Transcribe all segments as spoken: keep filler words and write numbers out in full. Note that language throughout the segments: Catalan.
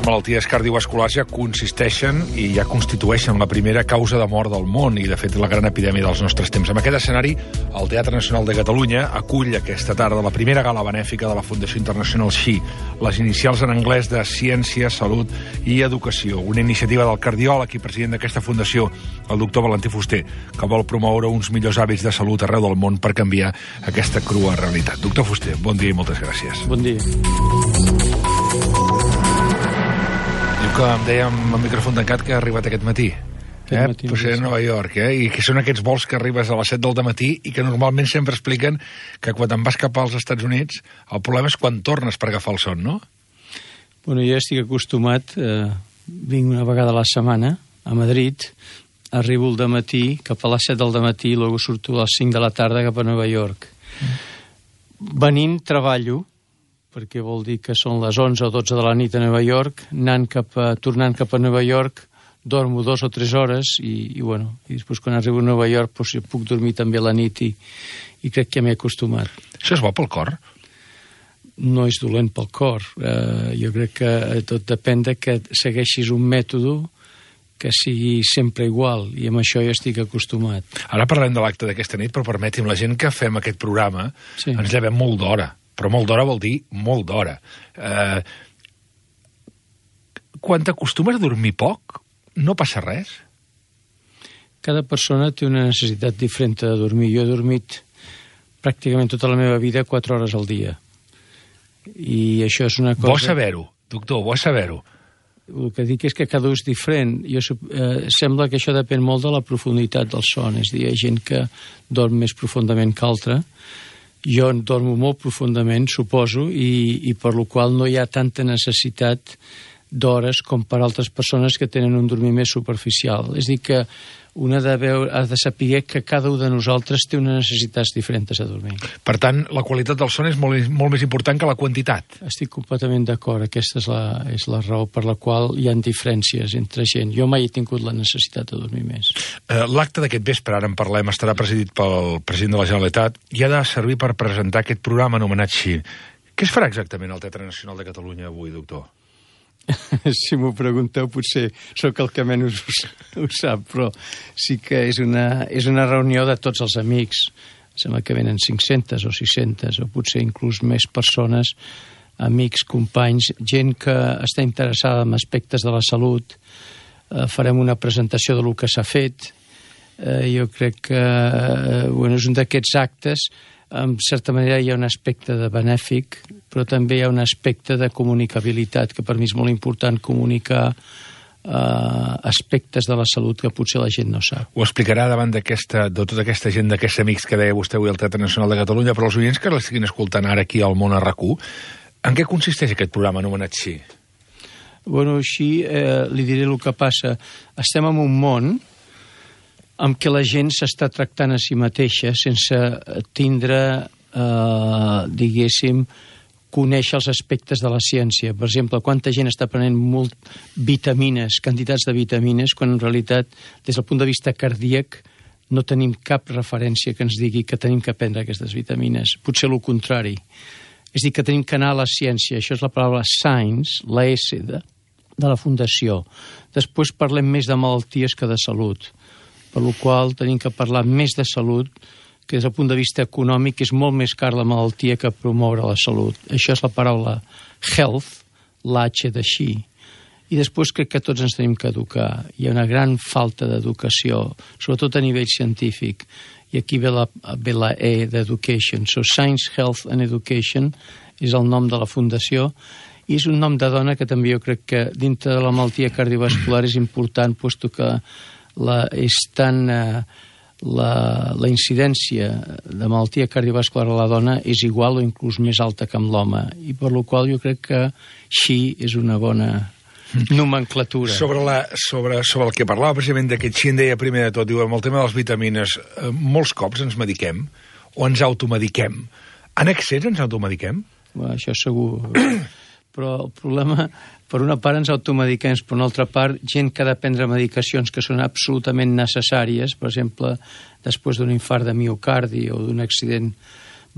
malalties cardiovasculars ja consisteixen i ja constitueixen la primera causa de mort del món i, de fet, la gran epidèmia dels nostres temps. En aquest escenari, el Teatre Nacional de Catalunya acull aquesta tarda la primera gala benèfica de la Fundació Internacional S H I, les inicials en anglès de Ciència, Salut i Educació, una iniciativa del cardiòleg i president d'aquesta fundació, el doctor Valentí Fuster, que vol promoure uns millors hàbits de salut arreu del món per canviar aquesta crua realitat. Doctor Fuster, bon dia i moltes gràcies. Bon dia. Diu que em deia amb el micròfon tancat que ha arribat aquest matí. Aquest eh? matí. Potser a Nova York, eh? I que són aquests vols que arribes a les set del dematí i que normalment sempre expliquen que quan te'n vas cap als Estats Units el problema és quan tornes per agafar el son, no? Bueno, jo estic acostumat, eh, vinc una vegada a la setmana a Madrid, arribo al dematí, cap a les set del dematí, i després surto a les cinc de la tarda cap a Nova York. Mm. Venint, treballo, perquè vol dir que són les onze o dotze de la nit a Nova York, anant cap a, tornant cap a Nova York, dormo dos o tres hores i, i bueno, i després quan arribo a Nova York doncs, puc dormir també a la nit i, i crec que m'he acostumat. Això és bo pel cor? No és dolent pel cor. Eh, jo crec que tot depèn de que segueixis un mètode que sigui sempre igual, i amb això jo estic acostumat. Ara parlem de l'acte d'aquesta nit, però permeti'm, la gent que fem aquest programa sí. ens llevem molt d'hora, però molt d'hora vol dir molt d'hora. Eh, quan t'acostumes a dormir poc, no passa res? Cada persona té una necessitat diferent de dormir. Jo he dormit pràcticament tota la meva vida quatre hores al dia. I això és una cosa... Bo saber-ho, doctor, bo saber-ho. El que dic és que cada un és diferent. Jo, eh, sembla que això depèn molt de la profunditat del son. És a dir, hi ha gent que dorm més profundament que altra. Jo en dormo molt profundament, suposo, i, i per la qual no hi ha tanta necessitat d'hores com per altres persones que tenen un dormir més superficial. És a dir, que un ha de, veure, ha de saber que cada un de nosaltres té unes necessitats diferents de dormir. Per tant, la qualitat del son és molt, molt més important que la quantitat. Estic completament d'acord. Aquesta és la, és la raó per la qual hi ha diferències entre gent. Jo mai he tingut la necessitat de dormir més. Eh, L'acte d'aquest vespre, ara en parlem, estarà presidit pel president de la Generalitat i ha de servir per presentar aquest programa anomenat S H I. Què es farà exactament al Teatre Nacional de Catalunya avui, doctor? Si m'ho pregunteu, potser sóc el que menys ho, ho sap, però sí que és una, és una reunió de tots els amics. Sembla que venen cinc-centes o sis-centes, o potser inclús més persones, amics, companys, gent que està interessada en aspectes de la salut. Eh, farem una presentació del que s'ha fet. Eh, jo crec que eh, bueno, és un d'aquests actes. En certa manera hi ha un aspecte de benèfic, però també hi ha un aspecte de comunicabilitat, que per mi és molt important comunicar eh, aspectes de la salut que potser la gent no sap. Ho explicarà davant d'aquesta, de tota aquesta gent, d'aquests amics que deia vostè avui al Teatre Nacional de Catalunya, però els oients que l'estiguin escoltant ara aquí al Món a RAC u, en què consisteix aquest programa anomenat S H I? Bueno, així eh, li diré el que passa. Estem en un món amb què la gent s'està tractant a si mateixa sense tindre, eh, diguéssim, conèixer els aspectes de la ciència. Per exemple, quanta gent està prenent molt vitamines, quantitats de vitamines, quan en realitat, des del punt de vista cardíac, no tenim cap referència que ens digui que tenim que prendre aquestes vitamines. Potser el contrari. És a dir, que tenim que anar a la ciència. Això és la paraula science, la S de, de la Fundació. Després parlem més de malalties que de salut, per la qual tenim que parlar més de salut, que des del punt de vista econòmic és molt més car la malaltia que promoure la salut. Això és la paraula health, l'H de S H I. I després crec que tots ens tenim que educar. Hi ha una gran falta d'educació, sobretot a nivell científic. I aquí ve la, ve la E d'education. So Science, Health and Education és el nom de la fundació. I és un nom de dona que també jo crec que dintre de la malaltia cardiovascular és important, puesto que la, és tan, eh, la, la incidència de malaltia cardiovascular a la dona és igual o inclús més alta que amb l'home, i per la qual jo crec que així és una bona nomenclatura. Sobre, la, sobre, sobre el que parlava precisament d'aquest S H I, en deia primer de tot, diu, amb el tema de les vitamines, eh, molts cops ens mediquem o ens automediquem. En excés ens automediquem? Bueno, això segur. Però el problema, per una part ens automediquem, per una altra part, gent que ha de prendre medicacions que són absolutament necessàries, per exemple, després d'un infart de miocardi o d'un accident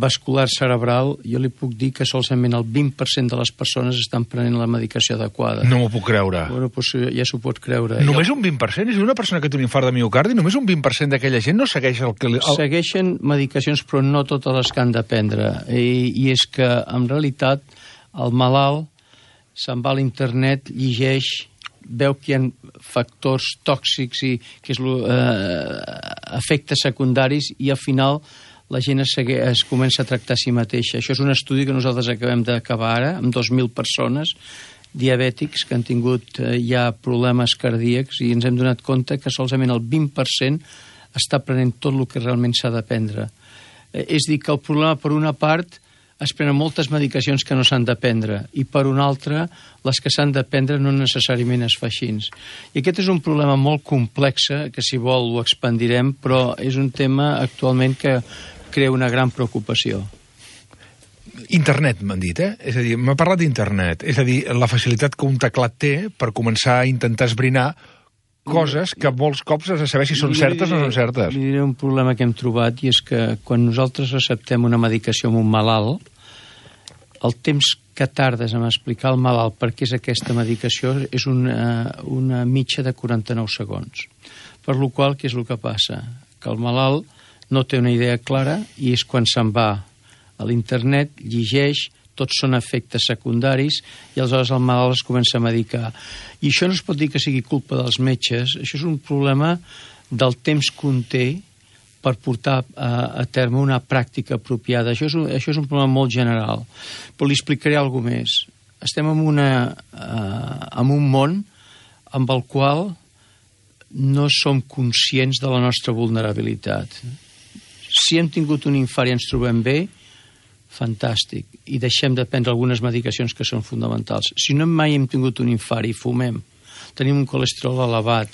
vascular cerebral, jo li puc dir que solament el vint per cent de les persones estan prenent la medicació adequada. No m'ho puc creure. Bueno, doncs ja s'ho pot creure. Només un vint per cent? És una persona que té un infart de miocardi, només un vint per cent d'aquella gent no segueix el que... El... Segueixen medicacions, però no totes les que han de prendre. I, i és que, en realitat, el malalt se'n va a l'internet, llegeix, veu que hi ha factors tòxics i que és lo, eh, efectes secundaris, i al final la gent es, segue, es comença a tractar a si mateixa. Això és un estudi que nosaltres acabem d'acabar ara, amb dos mil persones diabètics que han tingut eh, ja problemes cardíacs, i ens hem donat compte que solament el vint per cent està prenent tot el que realment s'ha de prendre. Eh, és dir, que el problema, per una part, es prenen moltes medicacions que no s'han de prendre, i per una altra, les que s'han de prendre no necessàriament es fa així. I aquest és un problema molt complex, que si vol ho expandirem, però és un tema actualment que crea una gran preocupació. Internet, m'han dit, eh? És a dir, m'ha parlat d'internet. És a dir, la facilitat que un teclat té per començar a intentar esbrinar coses que molts cops has de saber si són certes o no són certes. Li diré un problema que hem trobat, i és que quan nosaltres receptem una medicació amb un malalt, el temps que tardes en explicar al malalt per què és aquesta medicació és una, una mitja de quaranta-nou segons. Per la qual, què és el que passa? Que el malalt no té una idea clara, i és quan se'n va a l'internet, llegeix, tots són efectes secundaris, i aleshores el malalt es comença a medicar. I això no es pot dir que sigui culpa dels metges, això és un problema del temps que un té per portar a, a terme una pràctica apropiada. Això és, un, això és un problema molt general. Però li explicaré alguna més. Estem en, una, uh, en un món amb el qual no som conscients de la nostra vulnerabilitat. Si hem tingut un infart i ens trobem bé, fantàstic, i deixem de prendre algunes medicacions que són fonamentals. Si no mai hem tingut un infart i fumem, tenim un colesterol elevat,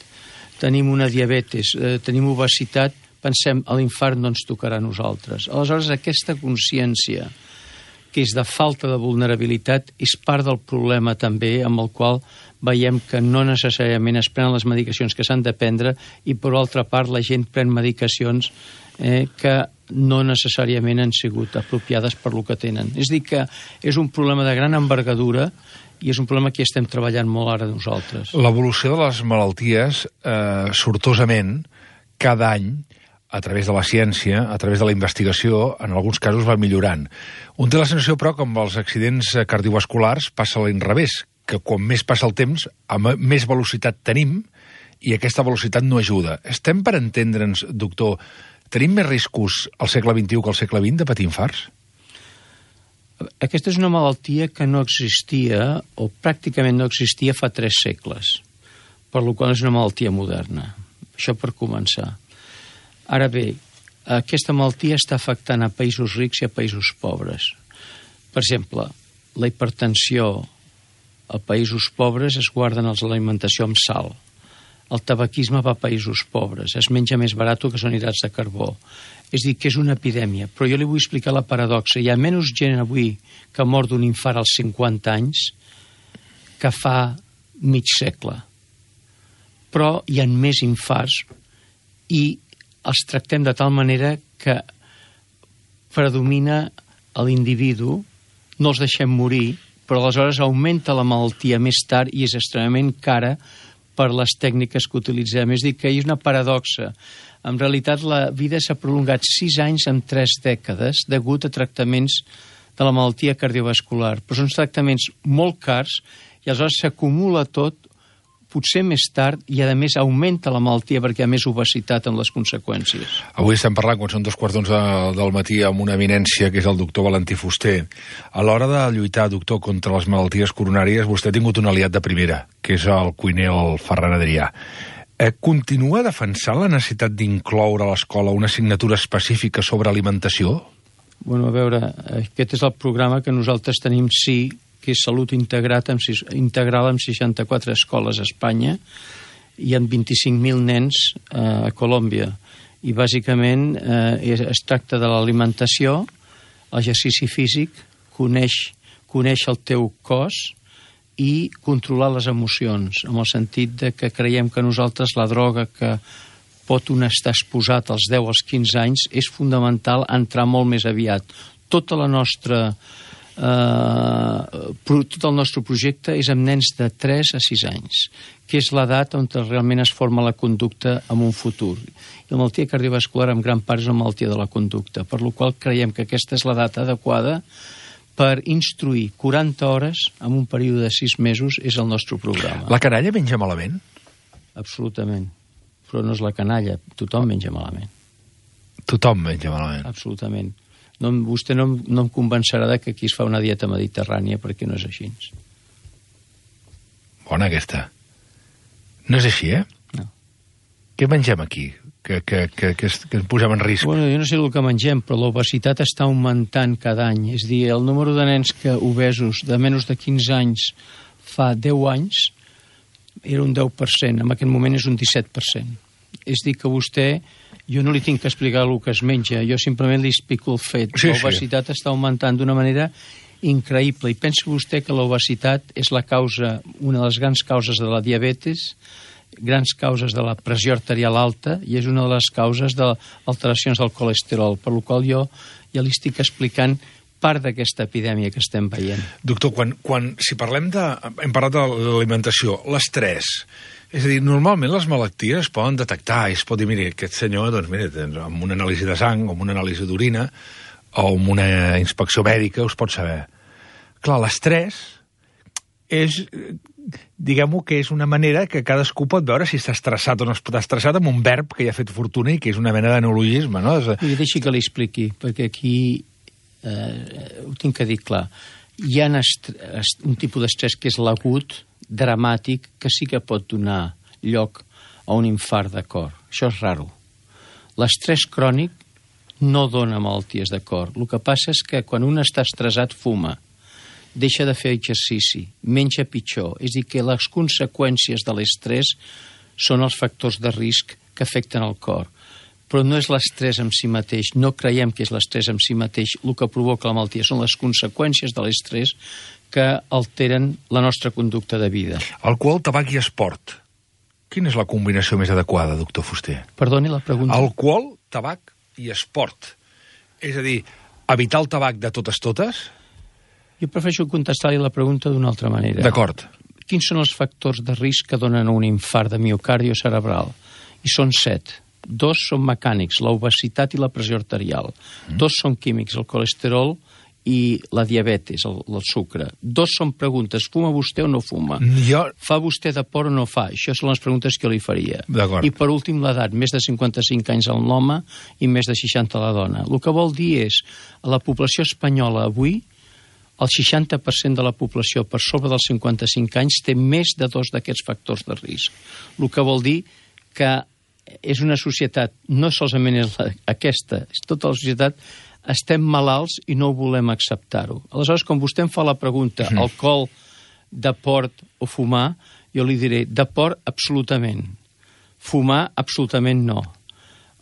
tenim una diabetes, eh, tenim obesitat, pensem, l'infart no ens tocarà a nosaltres. Aleshores, aquesta consciència, que és de falta de vulnerabilitat, és part del problema també, amb el qual veiem que no necessàriament es prenen les medicacions que s'han de prendre, i per altra part la gent pren medicacions eh, que no necessàriament han sigut apropiades per lo que tenen. És a dir, que és un problema de gran envergadura, i és un problema que estem treballant molt ara nosaltres. L'evolució de les malalties, eh, sortosament, cada any, a través de la ciència, a través de la investigació, en alguns casos va millorant. Un té la sensació, però, que amb els accidents cardiovasculars passa a l'inrevés, que quan més passa el temps, amb més velocitat tenim, i aquesta velocitat no ajuda. Estem per entendre'ns, doctor, tenim més riscos al segle vint-i-u que al segle vint de patir infarts? Aquesta és una malaltia que no existia, o pràcticament no existia, fa tres segles, per la qual és una malaltia moderna. Això per començar. Ara bé, aquesta malaltia està afectant a països rics i a països pobres. Per exemple, la hipertensió a països pobres es guarden els l'alimentació amb sal. El tabaquisme va a països pobres, es menja més barat que són hidrats de carbó. És a dir, que és una epidèmia. Però jo li vull explicar la paradoxa. Hi ha menys gent avui que mor d'un infart als cinquanta anys que fa mig segle. Però hi ha més infarts i els tractem de tal manera que predomina l'individu, no els deixem morir, però aleshores augmenta la malaltia més tard i és extremament cara per les tècniques que utilitzem. És a dir, que hi ha una paradoxa. En realitat, la vida s'ha prolongat sis anys en tres dècades degut a tractaments de la malaltia cardiovascular. Però són tractaments molt cars i aleshores s'acumula tot, potser més tard, i a més augmenta la malaltia perquè hi ha més obesitat en les conseqüències. Avui estem parlant, quan són dos quarts d'onze del matí, amb una eminència que és el doctor Valentí Fuster. A l'hora de lluitar, doctor, contra les malalties coronàries, vostè ha tingut un aliat de primera, que és el cuiner, el Ferran Adrià. Eh, continua defensant la necessitat d'incloure a l'escola una assignatura específica sobre alimentació? Bueno, a veure, aquest és el programa que nosaltres tenim, sí, que és Salut Integrat amb, integral amb seixanta-quatre escoles a Espanya i amb vint-i-cinc mil nens eh, a Colòmbia. I bàsicament eh, es, es tracta de l'alimentació, l'exercici físic, coneix, coneix el teu cos i controlar les emocions, en el sentit de que creiem que nosaltres la droga que pot un estar exposat als deu als quinze anys, és fundamental entrar molt més aviat. Tota la nostra, eh, tot el nostre projecte és amb nens de tres a sis anys, que és l'edat on realment es forma la conducta en un futur. I la malaltia cardiovascular en gran part és una malaltia de la conducta, per la qual creiem que aquesta és l'edat adequada per instruir quaranta hores en un període de sis mesos és el nostre programa. La canalla menja malament? Absolutament. Però no és la canalla, tothom menja malament. Tothom menja malament. Absolutament. No, vostè no, no em convencerà de que aquí es fa una dieta mediterrània, perquè no és així. Bona aquesta. No és així, eh? No. Què mengem aquí? Que, que, que, que, es, que ens posem en risc? Bueno, jo no sé el que mengem, però l'obesitat està augmentant cada any. És a dir, el número de nens que obesos de menys de quinze anys fa deu anys era un deu per cent, en aquest moment és un disset per cent. És dir, que vostè, jo no li tinc que explicar el que es menja, jo simplement li explico el fet. Sí, l'obesitat sí. està augmentant d'una manera increïble, i pensa vostè que l'obesitat és la causa, una de les grans causes de la diabetes, grans causes de la pressió arterial alta, i és una de les causes d'alteracions del colesterol, per la qual jo ja li estic explicant part d'aquesta epidèmia que estem veient. Doctor, quan, quan, si parlem de... Hem parlat de l'alimentació, l'estrès. És a dir, normalment les malalties es poden detectar, i es pot dir, mira, aquest senyor, doncs mira, amb una anàlisi de sang, o amb una anàlisi d'orina, o amb una inspecció mèdica, us pot saber. Clar, l'estrès és, diguem-ho, que és una manera que cadascú pot veure si està estressat o no està estressat amb un verb que ja ha fet fortuna i que és una mena de neologisme, no? I deixi que li expliqui, perquè aquí eh, ho tinc que dir clar. Hi ha un tipus d'estrès que és l'agut, dramàtic, que sí que pot donar lloc a un infart de cor. Això és raro. L'estrès crònic no dona malalties de cor. El que passa és que quan un està estressat fuma, deixa de fer exercici, menja pitjor. És a dir, que les conseqüències de l'estrès són els factors de risc que afecten el cor. Però no és l'estrès en si mateix, no creiem que és l'estrès en si mateix el que provoca la malaltia, són les conseqüències de l'estrès que alteren la nostra conducta de vida. Alcohol, tabac i esport. Quina és la combinació més adequada, doctor Fuster? Perdoni la pregunta. Alcohol, tabac i esport. És a dir, evitar el tabac de totes totes? Jo prefereixo contestar-li la pregunta d'una altra manera. D'acord. Quins són els factors de risc que donen un infart de miocardi o cerebral? I són set. Dos són mecànics, l'obesitat i la pressió arterial. Mm. Dos són químics, el colesterol i la diabetes, el, el sucre. Dos són preguntes, fuma vostè o no fuma? Jo... Fa vostè de por o no fa? Això són les preguntes que jo li faria. D'acord. I per últim l'edat, més de cinquanta-cinc anys en l'home i més de seixanta a la dona. El que vol dir és, a la població espanyola avui, el seixanta per cent de la població per sobre dels cinquanta-cinc anys té més de dos d'aquests factors de risc. El que vol dir que és una societat, no solament és la, aquesta, és tota la societat, estem malalts i no ho volem acceptar-ho. Aleshores, quan vostè em fa la pregunta, mm. alcohol, deport o fumar, jo li diré, deport, absolutament. Fumar, absolutament no.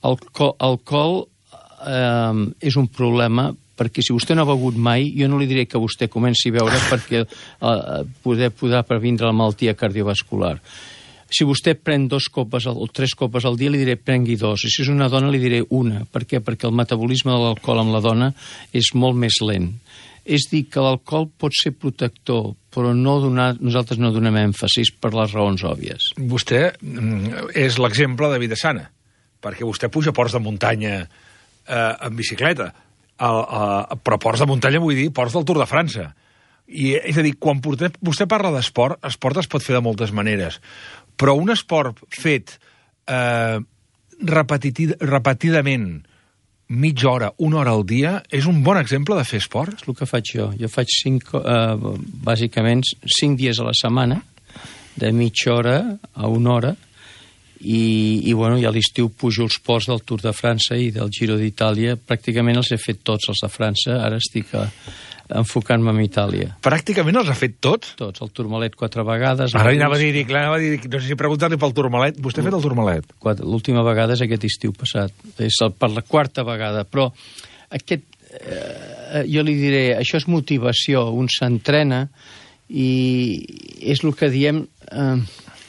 Alco alcohol eh, és un problema, perquè si vostè no ha begut mai, jo no li diré que vostè comenci a beure perquè eh, poder, podrà previndre la malaltia cardiovascular. Si vostè pren dos copes o tres copes al dia, li diré prengui dos. I si és una dona, li diré una. Per què? Perquè el metabolisme de l'alcohol amb la dona és molt més lent. És dir, que l'alcohol pot ser protector, però no donar, nosaltres no donem èmfasis per les raons òbvies. Vostè és l'exemple de vida sana, perquè vostè puja ports de muntanya eh, en bicicleta, el, eh, però ports de muntanya vull dir ports del Tour de França. I, és a dir, quan porté, vostè parla d'esport, esport es pot fer de moltes maneres, però un esport fet eh, repetidament mitja hora, una hora al dia, és un bon exemple de fer esport? És el que faig jo. Jo faig cinc, eh, bàsicament cinc dies a la setmana, de mitja hora a una hora, i, i, bueno, i a l'estiu pujo els ports del Tour de França i del Giro d'Itàlia. Pràcticament els he fet tots, els de França. Ara estic a, enfocant-me en Itàlia. Pràcticament els ha fet tots? Tots. El Tourmalet quatre vegades. Ara anava a dir, clar, anava a dir, no sé si preguntar-li pel Tourmalet. Vostè ha fet el Tourmalet? L'última vegada és aquest estiu passat. És el, per la quarta vegada. Però aquest, eh, jo li diré, això és motivació. Un s'entrena i és el que diem... Eh,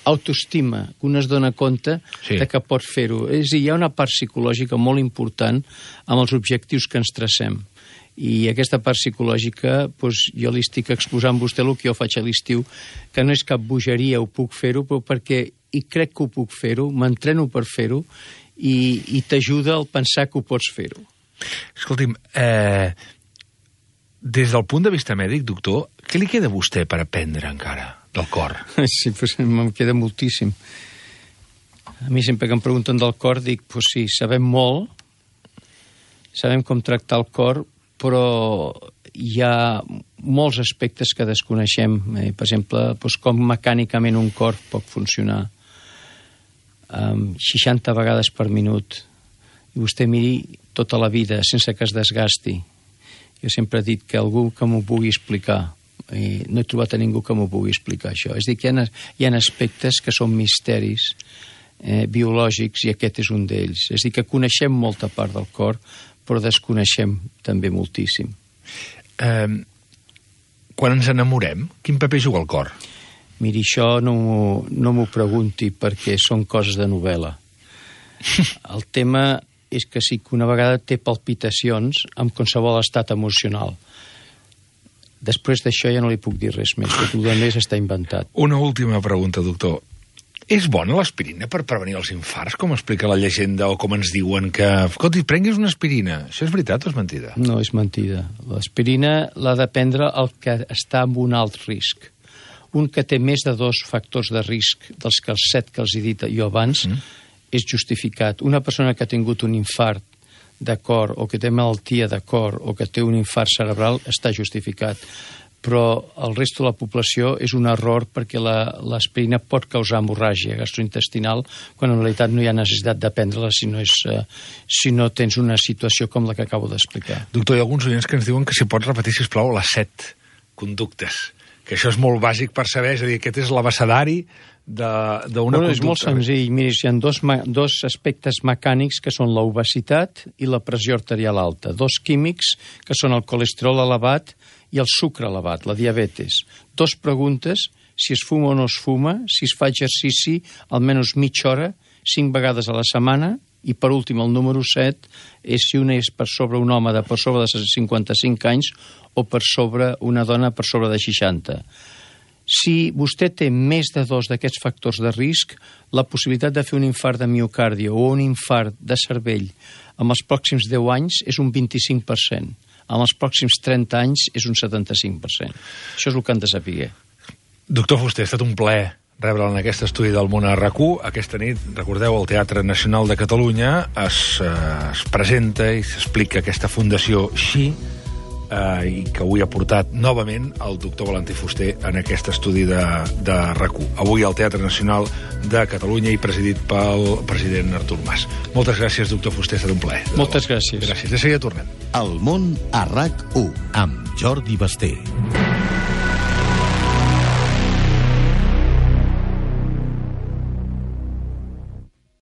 autoestima, que un es dona compte sí. de que pot fer-ho. És a dir, hi ha una part psicològica molt important amb els objectius que ens tracem. I aquesta part psicològica, doncs, jo li estic exposant a vostè el que jo faig a l'estiu, que no és cap bogeria, ho puc fer-ho, però perquè i crec que ho puc fer-ho, m'entreno per fer-ho, i, i t'ajuda al pensar que ho pots fer-ho. Escolti'm, eh, des del punt de vista mèdic, doctor, què li queda a vostè per aprendre encara del cor? Sí, doncs em queda moltíssim. A mi sempre que em pregunten del cor dic, doncs sí, sabem molt, sabem com tractar el cor, però hi ha molts aspectes que desconeixem. Eh, per exemple, doncs com mecànicament un cor pot funcionar um, seixanta vegades per minut. I vostè miri tota la vida sense que es desgasti. Jo sempre he dit que algú que m'ho pugui explicar. I no he trobat a ningú que m'ho pugui explicar, això. És a dir, que hi ha, hi ha aspectes que són misteris eh, biològics i aquest és un d'ells. És a dir, que coneixem molta part del cor, però desconeixem també moltíssim. Eh, quan ens enamorem, quin paper juga el cor? Miri, això no, no m'ho pregunti perquè són coses de novel·la. El tema és que sí que una vegada té palpitacions amb qualsevol estat emocional. Després d'això ja no li puc dir res més, perquè tot més està inventat. Una última pregunta, doctor. És bona l'aspirina per prevenir els infarts, com explica la llegenda, o com ens diuen que... Escolti, prenguis una aspirina. Això és veritat o és mentida? No, és mentida. L'aspirina l'ha de prendre el que està en un alt risc. Un que té més de dos factors de risc dels que els set que els he dit jo abans, mm. és justificat. Una persona que ha tingut un infart de cor o que té malaltia de cor o que té un infart cerebral està justificat. Però el resto de la població és un error perquè l'aspirina pot causar hemorràgia gastrointestinal quan en realitat no hi ha necessitat de prendre-la si, no és, eh, si no tens una situació com la que acabo d'explicar. Doctor, hi ha alguns oients que ens diuen que si pots repetir, sisplau, les set conductes, que això és molt bàsic per saber, és a dir, aquest és l'abecedari d'una bueno, conducta. És molt senzill. Miri, hi ha dos, dos aspectes mecànics que són l'obesitat i la pressió arterial alta. Dos químics que són el colesterol elevat i el sucre elevat, la diabetes. Dos preguntes, si es fuma o no es fuma, si es fa exercici almenys mitja hora, cinc vegades a la setmana, i per últim el número set és si una és per sobre un home de per sobre de cinquanta-cinc anys o per sobre una dona per sobre de seixanta. Si vostè té més de dos d'aquests factors de risc, la possibilitat de fer un infart de miocardi o un infart de cervell en els pròxims deu anys és un vint-i-cinc per cent. En els pròxims trenta anys és un setanta-cinc per cent. Això és el que han de saber. Doctor Fuster, ha estat un plaer rebre'l en aquest estudi del món a RAC u. Aquesta nit, recordeu, al Teatre Nacional de Catalunya es, eh, es presenta i s'explica aquesta fundació Xi, eh, i que avui ha portat novament el doctor Valentí Fuster en aquest estudi de, de RAC u. Avui al Teatre Nacional de Catalunya i presidit pel president Artur Mas. Moltes gràcies, doctor Fuster, ha estat un plaer. Moltes gràcies. Gràcies. De seguida tornem. El món a RAC u amb Jordi Basté.